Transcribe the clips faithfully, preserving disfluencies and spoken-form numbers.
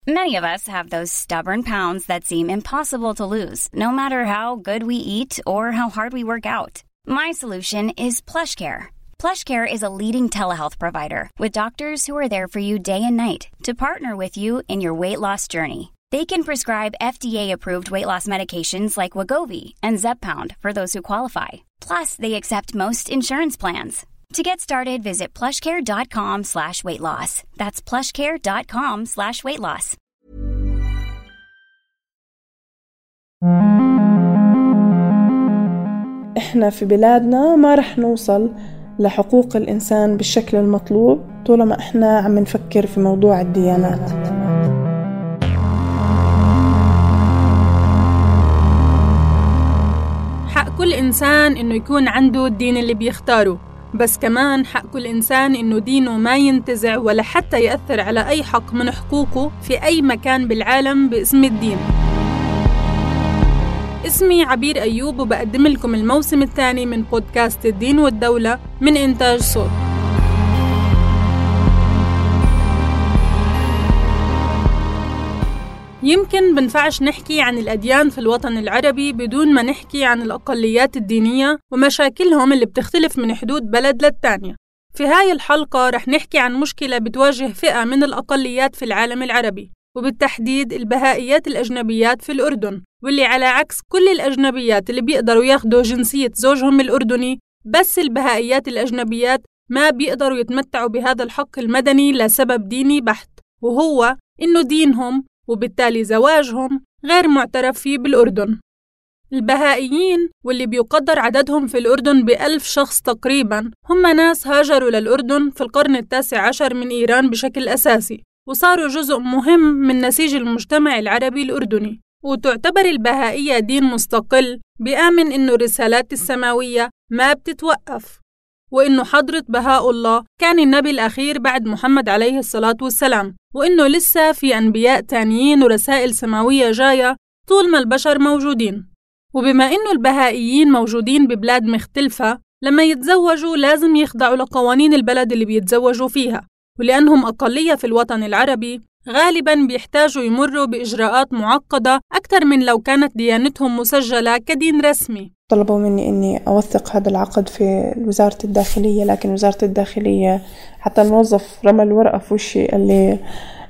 Many of us have those stubborn pounds that seem impossible to lose, no matter how good we eat or how hard we work out. My solution is PlushCare. PlushCare is a leading telehealth provider with doctors who are there for you day and night to partner with you in your weight loss journey. They can prescribe F D A-approved weight loss medications like Wegovy and Zepbound for those who qualify. Plus, they accept most insurance plans. To get started, visit plushcare.com slash weight loss. That's plushcare.com slash weight loss. إحنا في بلادنا ما رح نوصل لحقوق الإنسان بالشكل المطلوب طالما إحنا عم نفكر في موضوع الديانات. حق كل إنسان إنه يكون عنده الدين اللي بيختاره، بس كمان حق كل إنسان إنه دينه ما ينتزع ولا حتى يأثر على أي حق من حقوقه في أي مكان بالعالم باسم الدين. اسمي عبير أيوب وبقدم لكم الموسم الثاني من بودكاست الدين والدولة من إنتاج صوت. يمكن بنفعش نحكي عن الأديان في الوطن العربي بدون ما نحكي عن الأقليات الدينية ومشاكلهم اللي بتختلف من حدود بلد للتانية. في هاي الحلقة رح نحكي عن مشكلة بتواجه فئة من الأقليات في العالم العربي، وبالتحديد البهائيات الأجنبيات في الأردن، واللي على عكس كل الأجنبيات اللي بيقدروا ياخدوا جنسية زوجهم الأردني، بس البهائيات الأجنبيات ما بيقدروا يتمتعوا بهذا الحق المدني لسبب ديني بحت، وهو إنه دينهم وبالتالي زواجهم غير معترف فيه بالأردن. البهائيين واللي بيقدر عددهم في الأردن بألف شخص تقريباً هم ناس هاجروا للأردن في القرن التاسع عشر من إيران بشكل أساسي، وصاروا جزء مهم من نسيج المجتمع العربي الأردني. وتعتبر البهائية دين مستقل بيآمن إنه الرسالات السماوية ما بتتوقف، وإنه حضرة بهاء الله كان النبي الأخير بعد محمد عليه الصلاة والسلام، وإنه لسه في أنبياء تانيين ورسائل سماوية جاية طول ما البشر موجودين. وبما إنه البهائيين موجودين ببلاد مختلفة، لما يتزوجوا لازم يخضعوا لقوانين البلد اللي بيتزوجوا فيها، ولأنهم أقلية في الوطن العربي غالباً بيحتاجوا يمروا بإجراءات معقدة أكثر من لو كانت ديانتهم مسجلة كدين رسمي. طلبوا مني إني أوثق هذا العقد في وزارة الداخلية، لكن وزارة الداخلية حتى الموظف رمى الورقة في وشي قال لي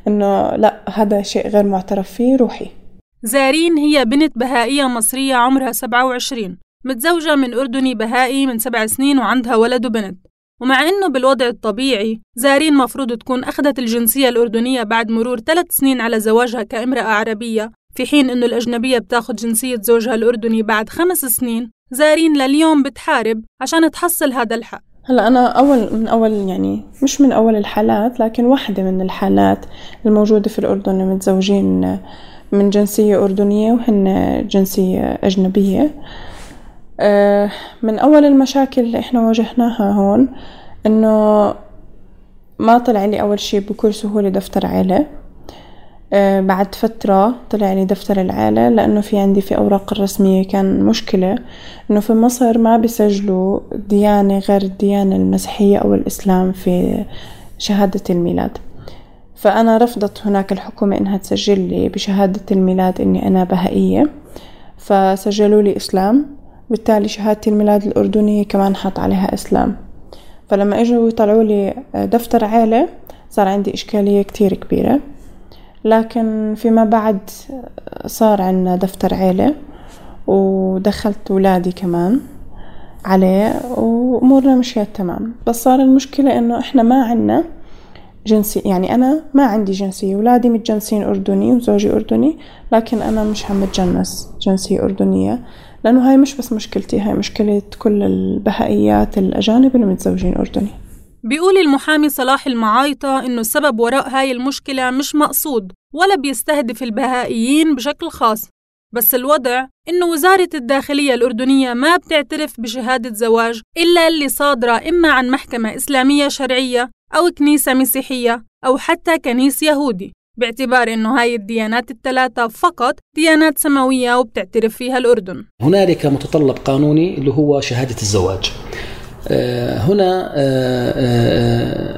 إنه لا، هذا شيء غير معترف فيه، روحي. زارين هي بنت بهائية مصرية عمرها سبعة وعشرين، متزوجة من أردني بهائي من سبع سنين وعندها ولد وبنت. ومع إنه بالوضع الطبيعي زارين مفروض تكون أخذت الجنسية الأردنية بعد مرور ثلاث سنين على زواجها كامرأة عربية، في حين إنه الأجنبية بتاخد جنسية زوجها الأردني بعد خمس سنين، زارين لليوم بتحارب عشان تحصل هذا الحق. هلا أنا أول من أول يعني مش من أول الحالات، لكن واحدة من الحالات الموجودة في الأردن متزوجين من جنسية أردنية وهن جنسية أجنبية. من أول المشاكل اللي إحنا واجهناها هون إنه ما طلع لي أول شيء بكل سهولة دفتر عائلة. بعد فترة طلع لي دفتر العائلة، لأنه في عندي في أوراق الرسمية كان مشكلة إنه في مصر ما بيسجلوا ديانة غير الديانة المسيحية أو الإسلام في شهادة الميلاد. فأنا رفضت هناك الحكومة إنها تسجل لي بشهادة الميلاد إني أنا بهائية، فسجلوا لي إسلام، بالتالي شهادة الميلاد الأردنية كمان حط عليها إسلام. فلما اجوا يطلعوا لي دفتر عائلة صار عندي إشكالية كتير كبيرة، لكن فيما بعد صار عندنا دفتر عائلة ودخلت ولادي كمان عليه وأمورنا مشيت تمام. بس صار المشكلة إنه إحنا ما عنا جنسي، يعني أنا ما عندي جنسية، ولادي متجنسين أردني وزوجي أردني، لكن أنا مش عم بتجنس جنسية أردنية، لأنه هاي مش بس مشكلتي، هاي مشكلة كل البهائيات الأجانب اللي متزوجين أردني. بيقول المحامي صلاح المعايطة إنه السبب وراء هاي المشكلة مش مقصود ولا بيستهدف البهائيين بشكل خاص، بس الوضع إنه وزارة الداخلية الأردنية ما بتعترف بشهادة زواج إلا اللي صادرة إما عن محكمة إسلامية شرعية أو كنيسة مسيحية أو حتى كنيس يهودي، باعتبار إنه هاي الديانات الثلاثة فقط ديانات سماوية وبتعترف فيها الأردن. هنالك متطلب قانوني اللي هو شهادة الزواج. هنا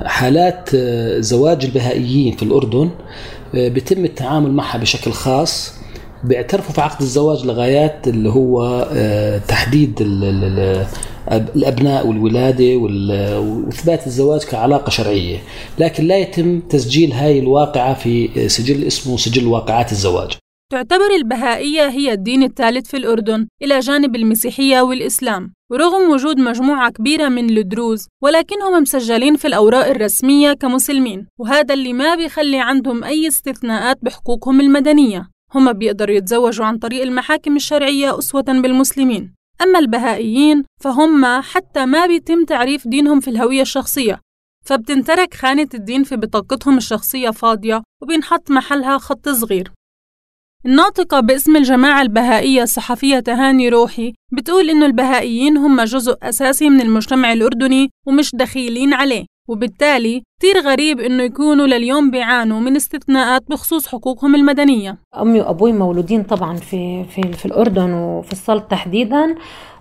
حالات زواج البهائيين في الأردن بيتم التعامل معها بشكل خاص، بيعترفوا في عقد الزواج لغايات اللي هو تحديد الأبناء والولادة وإثبات الزواج كعلاقة شرعية، لكن لا يتم تسجيل هاي الواقعة في سجل اسمه سجل واقعات الزواج. تعتبر البهائية هي الدين الثالث في الأردن إلى جانب المسيحية والإسلام، ورغم وجود مجموعة كبيرة من الدروز ولكنهم مسجلين في الأوراق الرسمية كمسلمين، وهذا اللي ما بيخلي عندهم أي استثناءات بحقوقهم المدنية. هم بيقدروا يتزوجوا عن طريق المحاكم الشرعية أسوة بالمسلمين. أما البهائيين فهم حتى ما بيتم تعريف دينهم في الهوية الشخصية، فبتنترك خانة الدين في بطاقتهم الشخصية فاضية وبينحط محلها خط صغير. الناطقة باسم الجماعة البهائية الصحفية تهاني روحي بتقول إنه البهائيين هم جزء أساسي من المجتمع الأردني ومش دخيلين عليه، وبالتالي كتير غريب إنه يكونوا لليوم بيعانوا من استثناءات بخصوص حقوقهم المدنية. أمي وأبوي مولودين طبعا في في في الأردن وفي السلط تحديدا،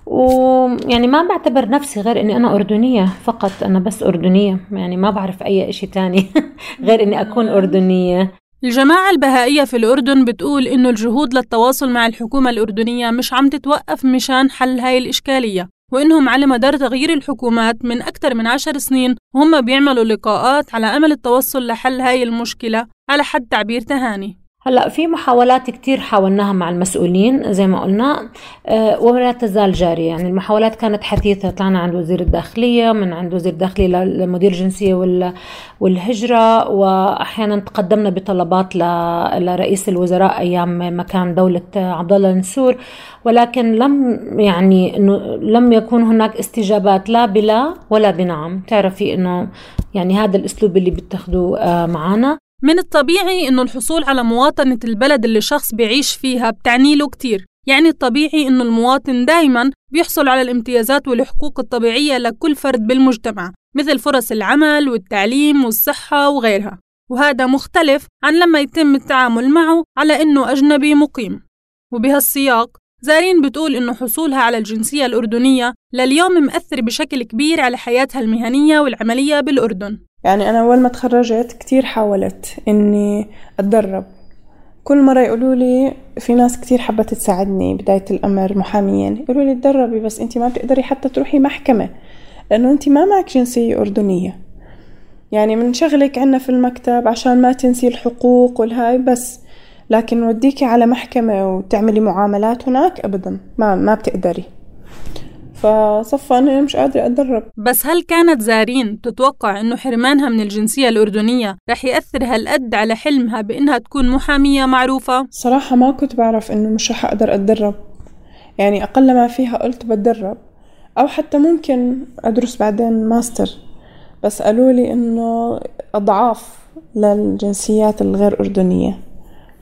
ويعني ما بعتبر نفسي غير إني أنا أردنية فقط، أنا بس أردنية، يعني ما بعرف أي إشي تاني غير إني أكون أردنية. الجماعة البهائية في الأردن بتقول إنه الجهود للتواصل مع الحكومة الأردنية مش عم تتوقف مشان حل هاي الإشكالية، وإنهم على مدار تغيير الحكومات من أكثر من عشر سنين وهم بيعملوا لقاءات على أمل التوصل لحل هاي المشكلة على حد تعبير تهاني. هلأ في محاولات كتير حاولناها مع المسؤولين زي ما قلنا أه ولا تزال جارية. يعني المحاولات كانت حثيثة، طلعنا عند وزير الداخلية، من عند وزير الداخلية لمدير الجنسية والهجرة، وأحيانا تقدمنا بطلبات لرئيس الوزراء أيام مكان دولة عبد الله النسور، ولكن لم يعني إنه لم يكون هناك استجابات لا بلا ولا بنعم. تعرفي إنه يعني هذا الأسلوب اللي بتاخدوه أه معنا. من الطبيعي إنه الحصول على مواطنة البلد اللي شخص بيعيش فيها بتعني له كتير، يعني الطبيعي إنه المواطن دايماً بيحصل على الامتيازات والحقوق الطبيعية لكل فرد بالمجتمع، مثل فرص العمل والتعليم والصحة وغيرها، وهذا مختلف عن لما يتم التعامل معه على إنه أجنبي مقيم. وبهالسياق زارين بتقول إنه حصولها على الجنسية الأردنية لليوم مؤثر بشكل كبير على حياتها المهنية والعملية بالأردن. يعني أنا أول ما تخرجت كتير حاولت إني أتدرب، كل مرة يقولوا لي في ناس كتير حبت تساعدني بداية الأمر محاميين، يقولوا لي تدربي بس أنت ما بتقدري حتى تروحي محكمة لأنه أنت ما معك جنسية أردنية، يعني من شغلك عنا في المكتب عشان ما تنسي الحقوق والهاي بس، لكن وديكي على محكمة وتعملي معاملات هناك أبدا ما ما بتقدري. فصفى أنا مش قادرة أتدرب. بس هل كانت زارين تتوقع إنه حرمانها من الجنسية الأردنية رح يأثر هالقد على حلمها بإنها تكون محامية معروفة؟ صراحة ما كنت بعرف إنه مش رح أقدر أتدرب، يعني أقل ما فيها قلت بتدرب أو حتى ممكن أدرس بعدين ماستر، بس قالوا لي إنه أضعاف للجنسيات الغير أردنية،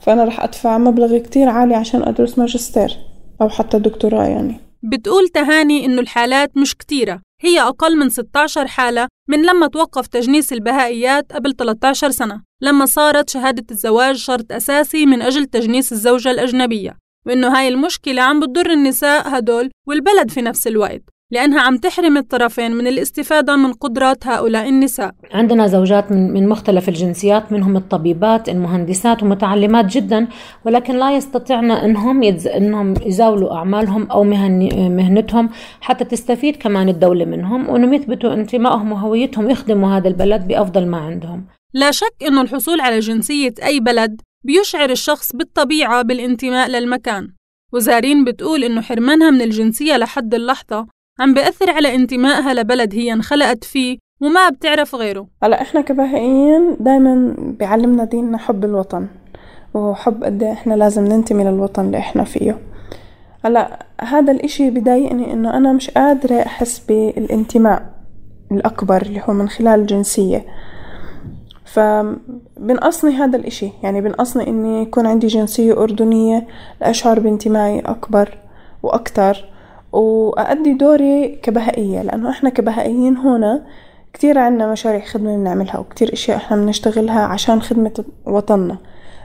فأنا رح أدفع مبلغ كتير عالي عشان أدرس ماجستير أو حتى دكتوراه. يعني بتقول تهاني إنه الحالات مش كتيرة، هي أقل من ستة عشر حالة من لما توقف تجنيس البهائيات قبل ثلاثة عشر سنة، لما صارت شهادة الزواج شرط أساسي من أجل تجنيس الزوجة الأجنبية، وإنه هاي المشكلة عم بتضر النساء هدول والبلد في نفس الوقت، لأنها عم تحرم الطرفين من الاستفادة من قدرات هؤلاء النساء. عندنا زوجات من من مختلف الجنسيات، منهم الطبيبات، المهندسات ومتعلمات جدا، ولكن لا يستطيعن انهم يتز... انهم يزاولوا اعمالهم او مهن... مهنتهم حتى تستفيد كمان الدولة منهم، وانهم يثبتوا انتمائهم وهويتهم يخدموا هذا البلد بافضل ما عندهم. لا شك انه الحصول على جنسية اي بلد بيشعر الشخص بالطبيعة بالانتماء للمكان، وزارين بتقول انه حرمانها من الجنسية لحد اللحظة عم بيأثر على انتمائها لبلد هي انخلقت فيه وما بتعرف غيره. هلا احنا كبهائيين دايما بيعلمنا ديننا حب الوطن وحب قد ايه احنا لازم ننتمي للوطن اللي احنا فيه. هلا هذا الاشي بضايقني انه انا مش قادرة احس بالانتماء الاكبر اللي هو من خلال الجنسية، فبنقصني هذا الاشي، يعني بنقصني اني يكون عندي جنسية اردنية لاشعر بانتمائي اكبر واكتر وأؤدي دوري كبهائية، لأنه إحنا كبهائيين هنا كتير عنا مشاريع خدمة بنعملها وكتير إشياء إحنا بنشتغلها عشان خدمة وطننا،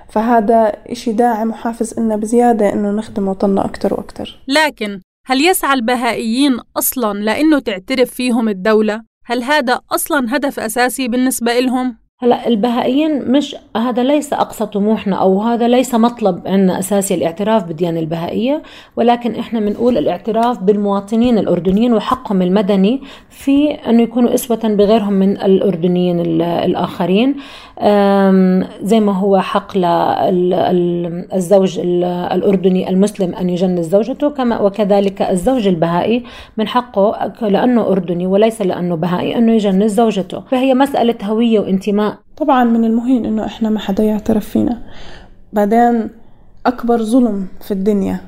فهذا إشي داعم وحافز إننا بزيادة إنه نخدم وطننا أكتر وأكتر. لكن هل يسعى البهائيين أصلاً لأنه تعترف فيهم الدولة؟ هل هذا أصلاً هدف أساسي بالنسبة إلهم؟ هلا البهائيين مش هذا ليس أقصى طموحنا أو هذا ليس مطلب عنا أساسي الاعتراف بالديانة البهائية، ولكن إحنا بنقول الاعتراف بالمواطنين الأردنيين وحقهم المدني في أنه يكونوا أسوة بغيرهم من الأردنيين الآخرين، زي ما هو حق للزوج الأردني المسلم أن يجنس زوجته، كما وكذلك الزوج البهائي من حقه لأنه أردني وليس لأنه بهائي أنه يجنس زوجته. فهي مسألة هوية وانتماء. طبعا من المهم إنه إحنا ما حدا يعترف فينا. بعدين أكبر ظلم في الدنيا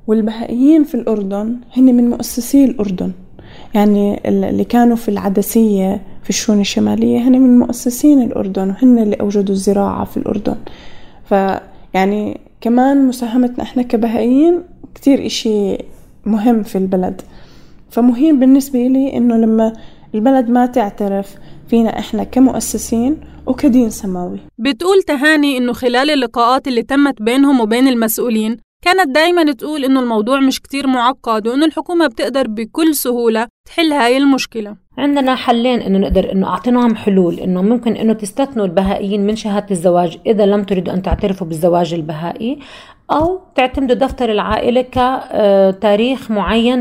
والبهائيين في الأردن هن من مؤسسي الأردن، يعني اللي كانوا في العدسية في الشؤون الشمالية هن من مؤسسين الأردن وهن اللي أوجدوا الزراعة في الأردن. فيعني كمان مساهمتنا إحنا كبهائيين كتير إشي مهم في البلد. فمهم بالنسبة لي إنه لما البلد ما تعترف فينا إحنا كمؤسسين وكدين سماوي. بتقول تهاني إنه خلال اللقاءات اللي تمت بينهم وبين المسؤولين كانت دايما تقول إنه الموضوع مش كتير معقد وإنه الحكومة بتقدر بكل سهولة تحل هاي المشكلة. عندنا حلين إنه نقدر إنه أعطيناهم حلول، إنه ممكن إنه تستثنوا البهائيين من شهادة الزواج إذا لم تريدوا أن تعترفوا بالزواج البهائي، أو تعتمدوا دفتر العائلة كتاريخ معين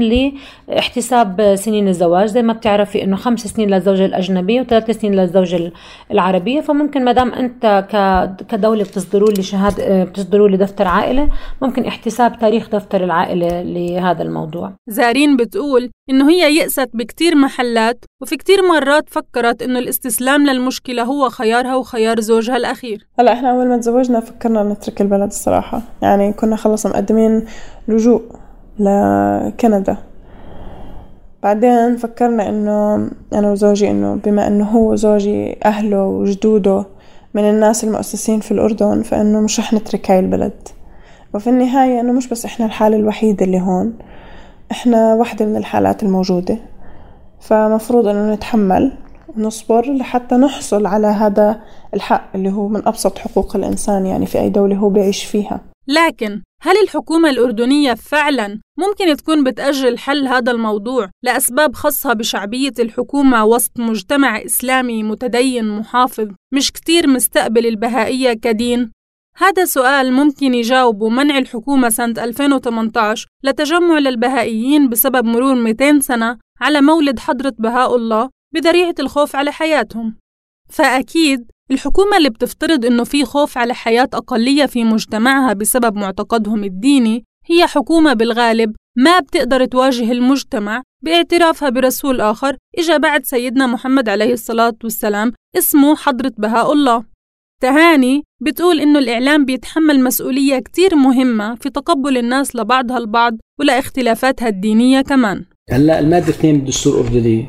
لاحتساب سنين الزواج. زي ما بتعرفي إنه خمس سنين للزوجة الأجنبية وثلاث سنين للزوجة العربية، فممكن مدام أنت كدولة بتصدروا لي شهادة بتصدروا لي دفتر عائلة ممكن احتساب تاريخ دفتر العائلة لهذا الموضوع. زارين بتقول إنه هي يأست بكتير محلات وفي كتير مرات فكرت إنه الاستسلام للمشكلة هو خيارها وخيار زوجها الأخير. هلا إحنا أول ما تزوجنا فكرنا نترك البلد الصراحة، يعني كنا خلص مقدمين لجوء لكندا. بعدين فكرنا إنه أنا وزوجي إنه بما إنه هو زوجي أهله وجدوده من الناس المؤسسين في الأردن فإنه مش رح نترك هاي البلد. وفي النهاية إنه مش بس إحنا الحالة الوحيدة اللي هون، إحنا واحدة من الحالات الموجودة، فمفروض إنه نتحمل ونصبر لحتى نحصل على هذا الحق اللي هو من أبسط حقوق الإنسان يعني في أي دولة هو بيعيش فيها. لكن هل الحكومة الأردنية فعلاً ممكن تكون بتأجل حل هذا الموضوع لأسباب خاصة بشعبية الحكومة وسط مجتمع إسلامي متدين محافظ مش كتير مستقبل البهائية كدين؟ هذا سؤال ممكن يجاوبه منع الحكومة سنة ألفين وثمانية عشر لتجمع للبهائيين بسبب مرور مئتين سنة على مولد حضرة بهاء الله بذريعة الخوف على حياتهم. فأكيد الحكومة اللي بتفترض إنه في خوف على حياة أقلية في مجتمعها بسبب معتقدهم الديني هي حكومة بالغالب ما بتقدر تواجه المجتمع باعترافها برسول آخر إجا بعد سيدنا محمد عليه الصلاة والسلام اسمه حضرة بهاء الله. تهاني بتقول إنه الإعلام بيتحمل مسؤولية كتير مهمة في تقبل الناس لبعضها البعض ولا اختلافاتها الدينية كمان. هلا المادة اثنين من الدستور الأردني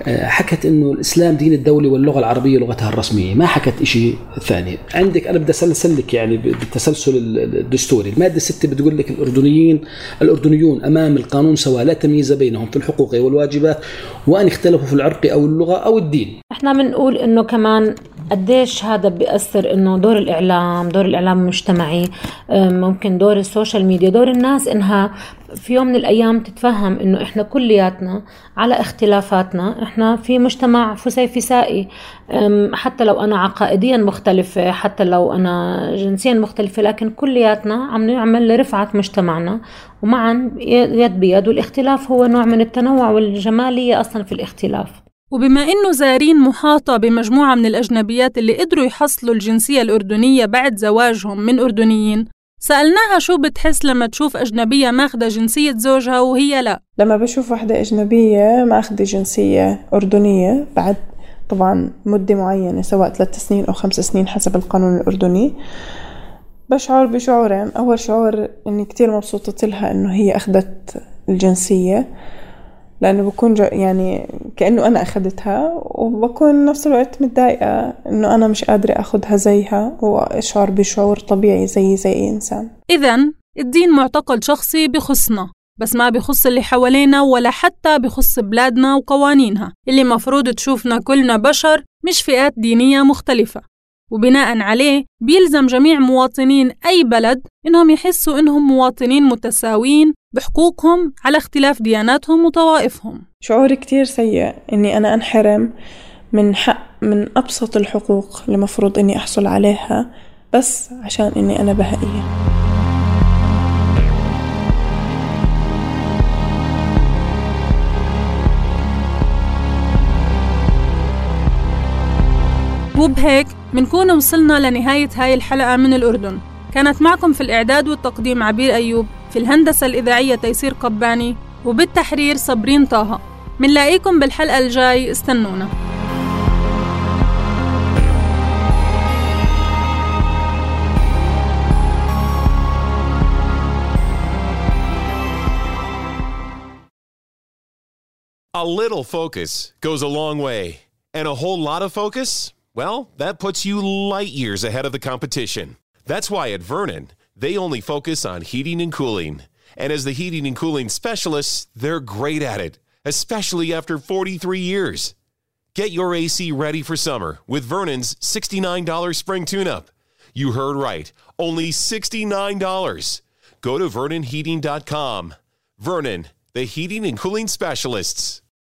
حكت إنه الإسلام دين الدولة واللغة العربية لغتها الرسمية، ما حكت إشي ثاني. عندك أنا بدي أسلسلك يعني بالتسلسل الدستوري. المادة ستة بتقول لك الأردنيين الأردنيون أمام القانون سواء لا تمييز بينهم في الحقوق والواجبات وأن اختلفوا في العرق أو اللغة أو الدين. إحنا بنقول إنه كمان قديش هذا بيأثر إنه دور الإعلام دور الإعلام المجتمعي، ممكن دور السوشيال ميديا، دور الناس إنها في يوم من الأيام تتفهم إنه إحنا كلياتنا على اختلافاتنا، إحنا في مجتمع فسيفسائي، حتى لو أنا عقائديا مختلفة، حتى لو أنا جنسيا مختلفة، لكن كلياتنا عم نعمل لرفعة مجتمعنا ومعا يد بيد، والاختلاف هو نوع من التنوع والجمالية أصلا في الاختلاف. وبما إنه زارين محاطة بمجموعة من الأجنبيات اللي قدروا يحصلوا الجنسية الأردنية بعد زواجهم من أردنيين، سألناها شو بتحس لما تشوف أجنبية ماخدة جنسية زوجها وهي لا. لما بشوف واحدة أجنبية ماخدة جنسية أردنية بعد طبعا مدة معينة سواء ثلاث سنين أو خمس سنين حسب القانون الأردني، بشعر بشعورين. أول شعور إني كتير مبسوطة لها إنه هي أخذت الجنسية، لأنه بكون يعني كأنه أنا أخذتها، وبكون نفس الوقت متضايقة إنه أنا مش قادرة أخذها زيها، وأشعر بشعور طبيعي زي زي أي إنسان. إذن الدين معتقد شخصي بخصنا، بس ما بخص اللي حوالينا ولا حتى بخص بلادنا وقوانينها اللي مفروض تشوفنا كلنا بشر مش فئات دينية مختلفة. وبناء عليه بيلزم جميع مواطنين أي بلد إنهم يحسوا إنهم مواطنين متساويين بحقوقهم على اختلاف دياناتهم وطوائفهم. شعور كتير سيء إني أنا أنحرم من حق من أبسط الحقوق اللي مفروض إني أحصل عليها بس عشان إني أنا بهائية. وبهيك منكون وصلنا لنهاية هاي الحلقة من الأردن. كانت معكم في الإعداد والتقديم عبير أيوب، في الهندسة الإذاعية تيسير قباني، وبالتحرير صبرين طه. منلاقيكم بالحلقة الجاي، استنونا. A little focus goes a long way, and a whole lot of focus, well, that puts you light years ahead of the competition. That's why at Vernon, they only focus on heating and cooling. And as the heating and cooling specialists, they're great at it, especially after forty-three years. Get your A C ready for summer with Vernon's sixty-nine dollars spring tune-up. You heard right, only sixty-nine dollars. Go to vernon heating dot com. Vernon, the heating and cooling specialists.